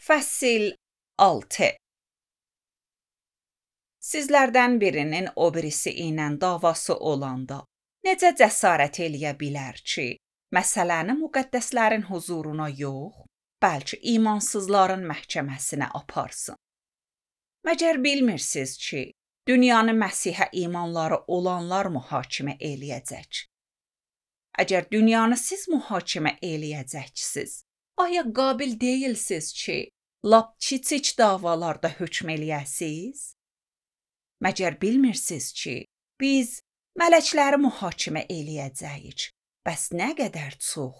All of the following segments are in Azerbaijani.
Fəsil 6. Sizlərdən birinin o birisi ilə davası olanda necə cəsarət eləyə bilər ki, məsələni müqəddəslərin huzuruna yox, bəlkə imansızların məhkəməsinə aparsın? Məgər bilmirsiniz ki, dünyanı Məsihə imanları olanlar mühakimə eləyəcək? Əgər dünyanı siz mühakimə eləyəcəksiniz, aya qabil deyilsiniz ki, lap kiçik davalarda hökm eləyəsiniz? Məgər bilmirsiniz ki, biz mələkləri mühakimə eləyəcəyik, bəs nə qədər çox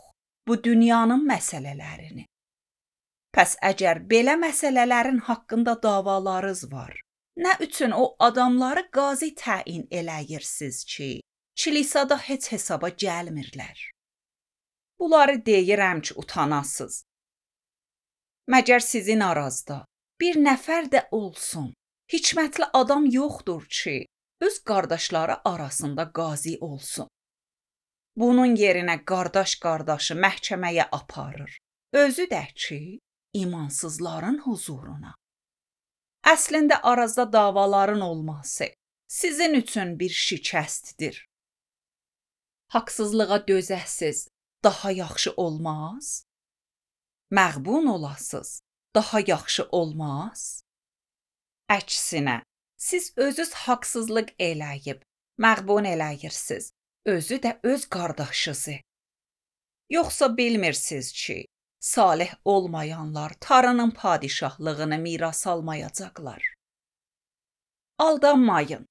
bu dünyanın məsələlərini? Pəs əgər belə məsələlərin haqqında davalarınız var, nə üçün o adamları qazi təyin eləyirsiniz ki, kilisada heç hesaba gəlmirlər? Bunları deyirəm ki, utanasınız. Məgər sizin arazda bir nəfər də olsun, hikmətli adam yoxdur ki, öz qardaşları arasında qazi olsun. Bunun yerinə qardaşı məhkəməyə aparır, özü də ki, imansızların huzuruna. Əslində arazda davaların olması sizin üçün bir şikəstdir. Haqsızlığa dözəsiz, daha yaxşı olmaz? Məğbun olasız, daha yaxşı olmaz? Əksinə, siz özünüz haqsızlıq eləyib, məğbun eləyirsiniz, özü də öz qardaşınızı. Yoxsa bilmirsiniz ki, salih olmayanlar Tanrının padişahlığını miras almayacaqlar? Aldanmayın.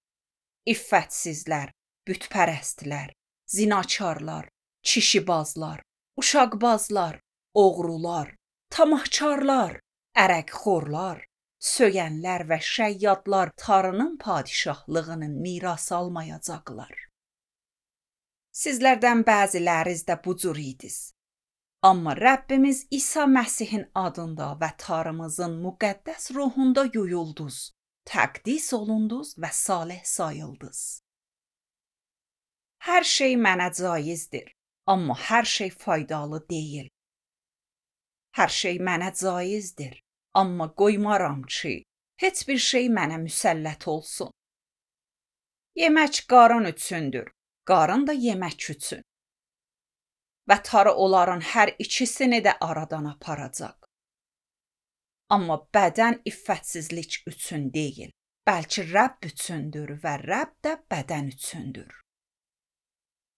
İffətsizlər, bütpərəstlər, zinakarlar, kişibazlar, uşaqbazlar, oğrular, tamahkarlar, ərəqxorlar, söyənlər və şəyyadlar Tanrının padişahlığını miras almayacaqlar. Sizlərdən bəziləriniz də bu cür idiniz. Amma Rəbbimiz İsa Məsihin adında və Tanrımızın müqəddəs ruhunda yuyuldunuz, təqdis olundunuz və salih sayıldınız. Hər şey mənə caizdir, amma hər şey faydalı deyil. Hər şey mənə caizdir, amma qoymaram ki, heç bir şey mənə müsəllət olsun. Yemək qarın üçündür, qarın da yemək üçün. Və Tanrı onların hər ikisini də aradan aparacaq. Amma bədən iffətsizlik üçün deyil, bəlkə Rəbb üçündür və Rəbb də bədən üçündür.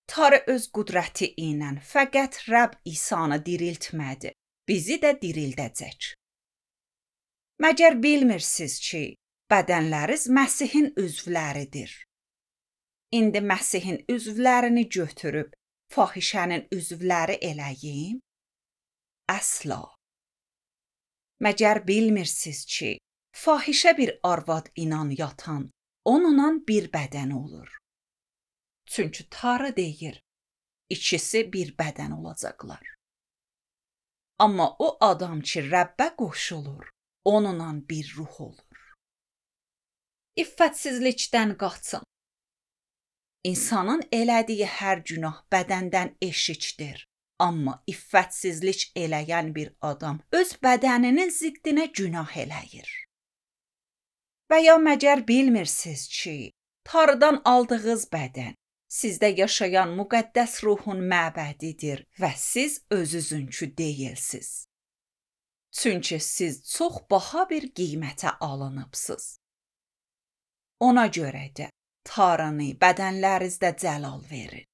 Tanrı öz qüdrəti ilə fəqət Rəbb İsanı diriltmədi, bizi də dirildəcək. Məgər bilmirsiniz ki, bədənləriniz Məsihin üzvləridir? İndi Məsihin üzvlərini götürüb, fahişənin üzvləri eləyim? Əsla. Məgər bilmirsiniz ki, fahişə bir arvad inan yatan, onunla bir bədən olur. Çünki Tanrı deyir, ikisi bir bədən olacaqlar. Amma o adam ki, Rəbbə qoşulur, onunla bir ruh olur. İffətsizlikdən qaçın. İnsanın elədiyi hər günah bədəndən eşikdir. Amma iffətsizlik eləyən bir adam öz bədəninin ziddinə günah eləyir. Və ya məgər bilmirsiniz ki, Tanrıdan aldığınız bədən sizdə yaşayan müqəddəs ruhun məbədidir və siz özünüzünkü deyilsiniz. Çünki siz çox baha bir qiymətə alınıbsınız. Ona görə də Tanrını bədənlərinizdə cəlal verin.